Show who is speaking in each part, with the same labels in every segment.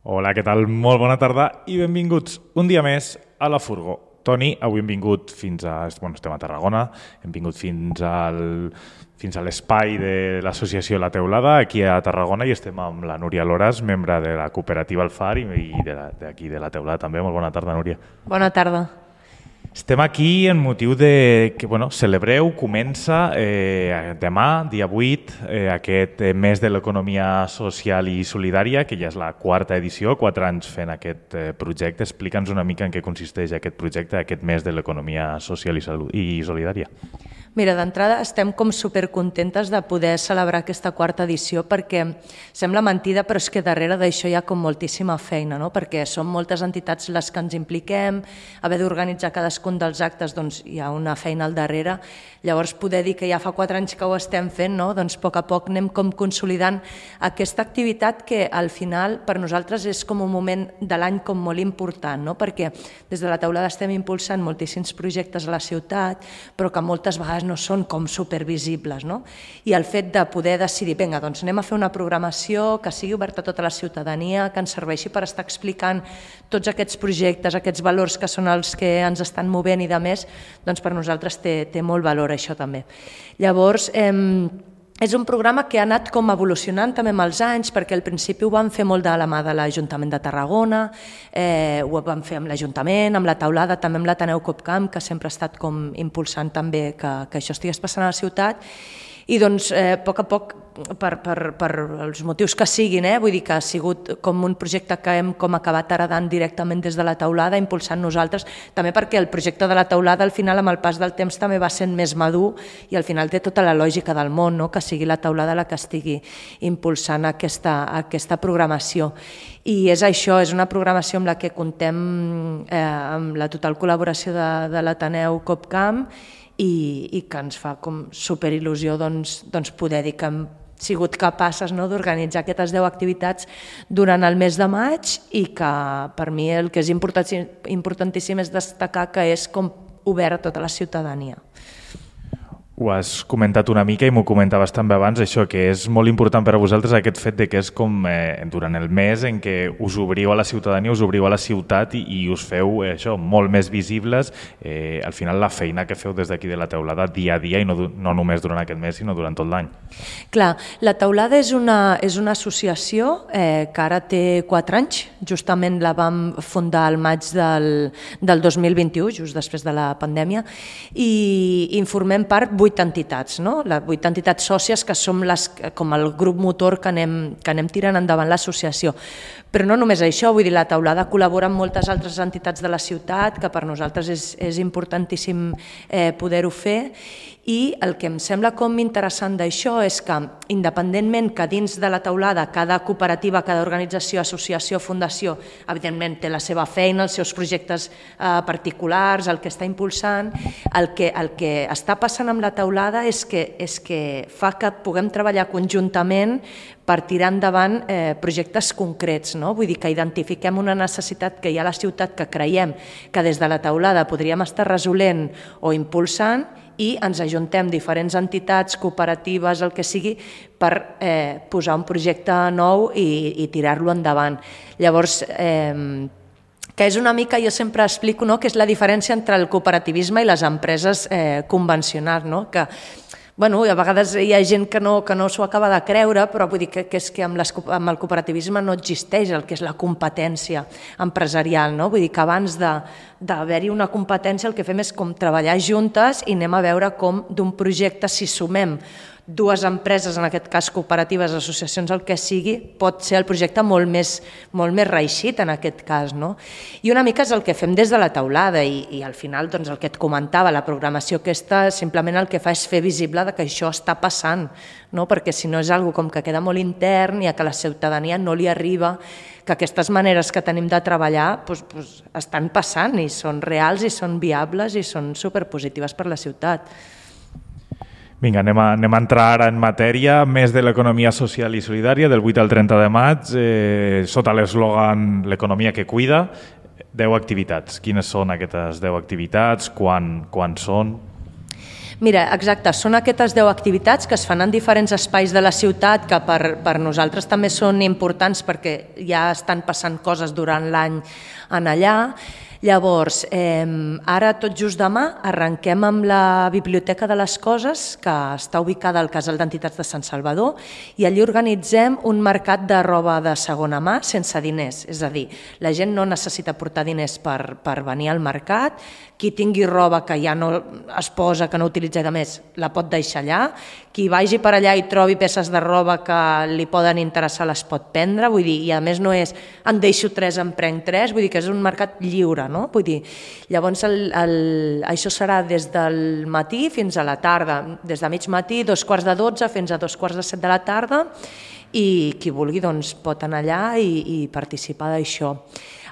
Speaker 1: Hola, què tal? Molt bona tarda i benvinguts un dia més a La Furgo. Toni, avui hem vingut fins a... Bueno, estem a Tarragona, hem vingut fins a l'espai de l'associació La Teulada, aquí a Tarragona, i estem amb la Núria Loras, membre de la cooperativa El Far i d'aquí de La Teulada també. Molt bona tarda, Núria.
Speaker 2: Bona tarda.
Speaker 1: Estem aquí en motiu de que celebreu, comença demà, dia 8, aquest mes de l'economia social i solidària, que ja és la quarta edició, 4 anys fent aquest projecte. Explica'ns una mica en què consisteix aquest projecte, aquest mes de l'economia social i solidària.
Speaker 2: Mira, d'entrada estem com supercontentes de poder celebrar aquesta quarta edició perquè sembla mentida, però és que darrere d'això hi ha com moltíssima feina, no? Perquè són moltes entitats les que ens impliquem, haver d'organitzar cadascun dels actes, doncs hi ha una feina al darrere. Llavors poder dir que ja fa 4 anys que ho estem fent, no? Doncs a poc anem com consolidant aquesta activitat que al final per nosaltres és com un moment de l'any com molt important, no? Perquè des de la Teulada estem impulsant moltíssims projectes a la ciutat, però que moltes vegades no són com supervisibles, no? I el fet de poder decidir, vinga, doncs anem a fer una programació que sigui oberta a tota la ciutadania, que ens serveixi per estar explicant tots aquests projectes, aquests valors que són els que ens estan movent i de més, doncs per nosaltres té molt valor això també. Llavors, és un programa que ha anat com evolucionant també amb els anys, perquè al principi ho vam fer molt de la mà de l'Ajuntament de Tarragona, ho vam fer amb l'Ajuntament, amb la Teulada, també amb l'Ateneu Copcamp, que sempre ha estat com impulsant també que això estigués passant a la ciutat, i doncs a poc, per els motius que siguin, vull dir que ha sigut com un projecte que hem com acabat heredant directament des de la Teulada, impulsant nosaltres, també perquè el projecte de la Teulada al final amb el pas del temps també va sent més madur i al final té tota la lògica del món, no? Que sigui la Teulada la que estigui impulsant aquesta programació. I és això, és una programació amb la que contem amb la total col·laboració de l'Ateneu Copcamp i que ens fa com superil·lusió doncs poder dir que hem sigut capaces d'organitzar aquestes 10 activitats durant el mes de maig i que per mi el que és importantíssim és destacar que és com obert a tota la ciutadania.
Speaker 1: Ho has comentat una mica i m'ho comentaves també abans, això que és molt important per a vosaltres aquest fet de que és com durant el mes en què us obriu a la ciutadania, us obriu a la ciutat i us feu això molt més visibles, al final la feina que feu des d'aquí de la Teulada dia a dia i no només durant aquest mes sinó durant tot l'any.
Speaker 2: Clar, la Teulada és una associació que ara té 4 anys, justament la vam fundar al maig del 2021, just després de la pandèmia, i en formem part 8 entitats, no? Les 8 entitats sòcies que som com el grup motor que anem tirant endavant l'associació. Però no només això, vull dir, la Teulada col·labora amb moltes altres entitats de la ciutat, que per nosaltres és importantíssim poder-ho fer, i el que em sembla com interessant d'això és que, independentment que dins de la Teulada cada cooperativa, cada organització, associació, fundació, evidentment té la seva feina, els seus projectes particulars, el que està impulsant, el que està passant amb la Teulada és que fa que puguem treballar conjuntament per tirar endavant projectes concrets, no? Vull dir que identifiquem una necessitat que hi ha a la ciutat que creiem que des de la Teulada podríem estar resolent o impulsant i ens ajuntem diferents entitats, cooperatives, el que sigui, per posar un projecte nou i tirar-lo endavant. Llavors, que és una mica, jo sempre explico, que és la diferència entre el cooperativisme i les empreses convencionals, no? Que a vegades hi ha gent que no s'ho acaba de creure, però vull dir que és que amb el cooperativisme no existeix el que és la competència empresarial, no? Vull dir que abans d'haver-hi una competència el que fem és com treballar juntes i anem a veure com d'un projecte, si sumem 2 empreses, en aquest cas cooperatives, associacions, el que sigui, pot ser el projecte molt més reeixit en aquest cas, no? I una mica és el que fem des de la Teulada i al final doncs, el que et comentava, la programació aquesta simplement el que fa és fer visible que això està passant, no? Perquè si no és algo com que queda molt intern i a que la ciutadania no li arriba, que aquestes maneres que tenim de treballar estan passant i són reals i són viables i són superpositives per la ciutat.
Speaker 1: Vinga, anem a entrar ara en matèria, mes de l'economia social i solidària, del 8 al 30 de maig, sota l'eslògan l'economia que cuida, 10 activitats. Quines són aquestes 10 activitats? Quan són?
Speaker 2: Mira, exacte, són aquestes 10 activitats que es fan en diferents espais de la ciutat que per nosaltres també són importants perquè ja estan passant coses durant l'any en allà. Llavors, ara tot just demà arrenquem amb la Biblioteca de les Coses, que està ubicada al Casal d'Entitats de Sant Salvador, i allí organitzem un mercat de roba de segona mà sense diners. És a dir, la gent no necessita portar diners per venir al mercat, qui tingui roba que ja no es posa, que no utilitza de més, la pot deixar allà, qui vagi per allà i trobi peces de roba que li poden interessar les pot prendre, vull dir, i a més no és en deixo 3, en prenc 3, vull dir que és un mercat lliure, no? Vull dir, llavors això serà des del matí fins a la tarda, des de mig matí, 11:45 fins a 14:45 de la tarda, i qui vulgui doncs, pot anar allà i participar d'això.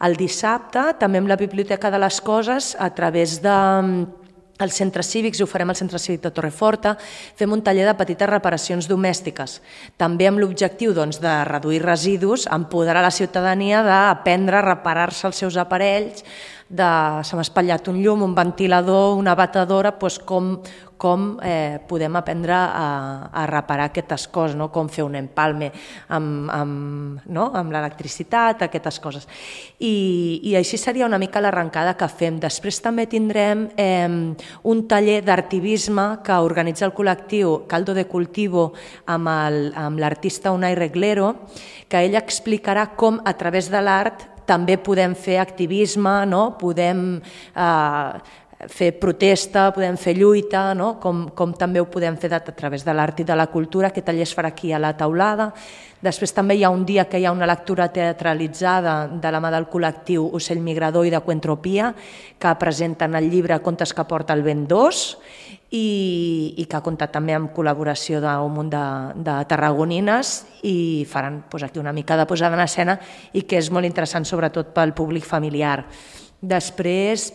Speaker 2: El dissabte, també amb la Biblioteca de les Coses, a través dels centres cívics, ho farem al Centre Cívic de Torreforta, fem un taller de petites reparacions domèstiques, també amb l'objectiu doncs, de reduir residus, empoderar la ciutadania d'aprendre a reparar-se els seus aparells, se m'ha espatllat un llum, un ventilador, una batedora, doncs com podem aprendre a reparar aquestes coses, no? Com fer un empalme amb l'electricitat, aquestes coses. I així seria una mica l'arrencada que fem. Després també tindrem un taller d'artivisme que organitza el col·lectiu Caldo de Cultivo amb l'artista Unai Reglero, que ell explicarà com a través de l'art també podem fer activisme, no? Podem fer protesta, podem fer lluita, no? Com també ho podem fer a través de l'art i de la cultura. Aquest taller es farà aquí a la Taulada. Després també hi ha un dia que hi ha una lectura teatralitzada de la mà del col·lectiu Ocell Migrador i de Cuentropia, que presenten el llibre Contes que porta el vent 2 i que ha comptat també amb col·laboració d'un munt de tarragonines i faran aquí una mica de posada en escena i que és molt interessant sobretot pel públic familiar. Després,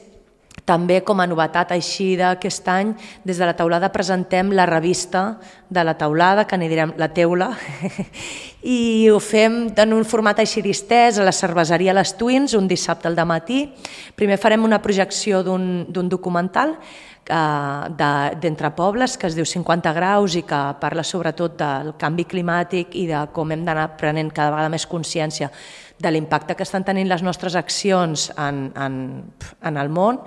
Speaker 2: també com a novetat així d'aquest any, des de la Taulada presentem la revista de la Taulada, que n'hi direm La Teula, i ho fem en un format així distès a la cerveseria Les Twins, un dissabte al dematí. Primer farem una projecció d'un documental d'Entre Pobles, que es diu 50 graus i que parla sobretot del canvi climàtic i de com hem d'anar prenent cada vegada més consciència de l'impacte que estan tenint les nostres accions en el món.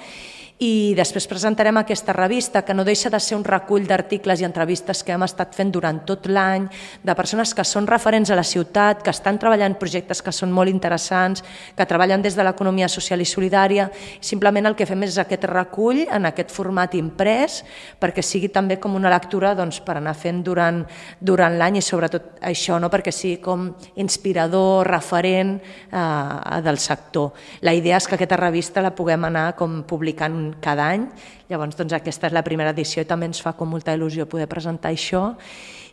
Speaker 2: I després presentarem aquesta revista, que no deixa de ser un recull d'articles i entrevistes que hem estat fent durant tot l'any, de persones que són referents a la ciutat, que estan treballant projectes que són molt interessants, que treballen des de l'economia social i solidària. Simplement el que fem és aquest recull en aquest format imprès, perquè sigui també com una lectura per anar fent durant l'any i sobretot això, perquè sigui com inspirador, referent del sector. La idea és que aquesta revista la puguem anar com publicant cada any, llavors aquesta és la primera edició i també ens fa com molta il·lusió poder presentar això.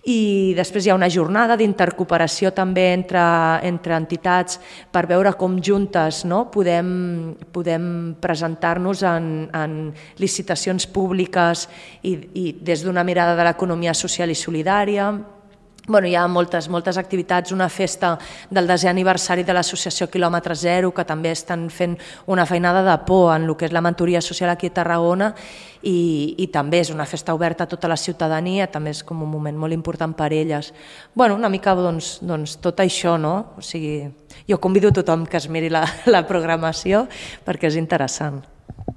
Speaker 2: I després hi ha una jornada d'intercooperació també entre entitats per veure com juntes podem presentar-nos en licitacions públiques i des d'una mirada de l'economia social i solidària. Hi ha moltes activitats, una festa del 10è aniversari de l'associació Quilòmetre Zero, que també estan fent una feinada de por en el que és la mentoria social aquí a Tarragona i també és una festa oberta a tota la ciutadania, també és com un moment molt important per elles. Una mica tot això, no? O sigui, jo convido a tothom que es miri la programació perquè és interessant.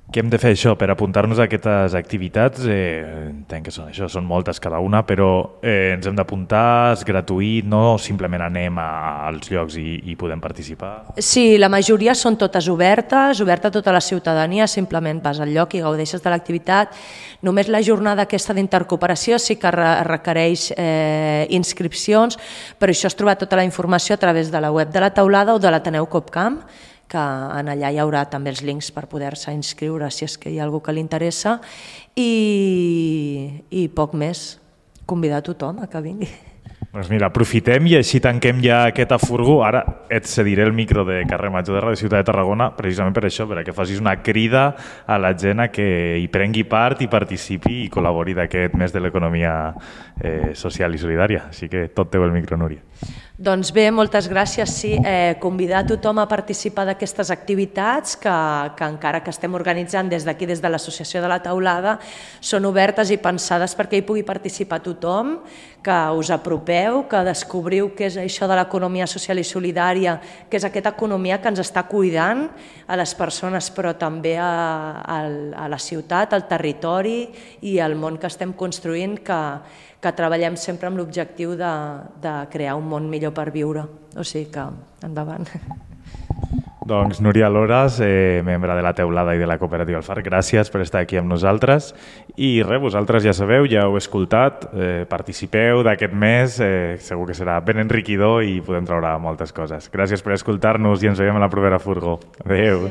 Speaker 1: Què hem de fer això per apuntar-nos a aquestes activitats? Entenc que són moltes cada una, però ens hem d'apuntar, és gratuït, no simplement anem als llocs i podem participar? Sí,
Speaker 2: la majoria són totes obertes a tota la ciutadania, simplement vas al lloc i gaudeixes de l'activitat. Només la jornada aquesta d'intercooperació sí que requereix inscripcions, però això es troba tota la informació a través de la web de la Taulada o de l'Ateneu Copcamp, que en allà hi haurà també els links per poder-se inscriure si és que hi ha algú que li interessa i poc més, convidar a tothom a que vingui.
Speaker 1: Doncs mira, aprofitem i així tanquem ja aquest afurgo. Ara et cediré el micro de Carrer Major de Ràdio Ciutat de Tarragona precisament per això, perquè facis una crida a la gent a que hi prengui part i participi i col·labori d'aquest mes de l'economia social i solidària. Així que tot teu el micro, Núria.
Speaker 2: Doncs bé, moltes gràcies. Sí, convidar a tothom a participar d'aquestes activitats que encara que estem organitzant des d'aquí, des de l'Associació de la Teulada, són obertes i pensades perquè hi pugui participar tothom, que us apropeu, que descobriu què és això de l'economia social i solidària, que és aquesta economia que ens està cuidant a les persones, però també a la ciutat, al territori i al món que estem construint, que treballem sempre amb l'objectiu de crear un món millor per viure. O sigui que, endavant.
Speaker 1: Doncs Núria Loras, membre de la Teulada i de la Cooperativa Alfar, gràcies per estar aquí amb nosaltres. I res, vosaltres ja sabeu, ja ho heu escoltat, participeu d'aquest mes, segur que serà ben enriquidor i podem treure moltes coses. Gràcies per escoltar-nos i ens veiem a la propera furgó. Adéu.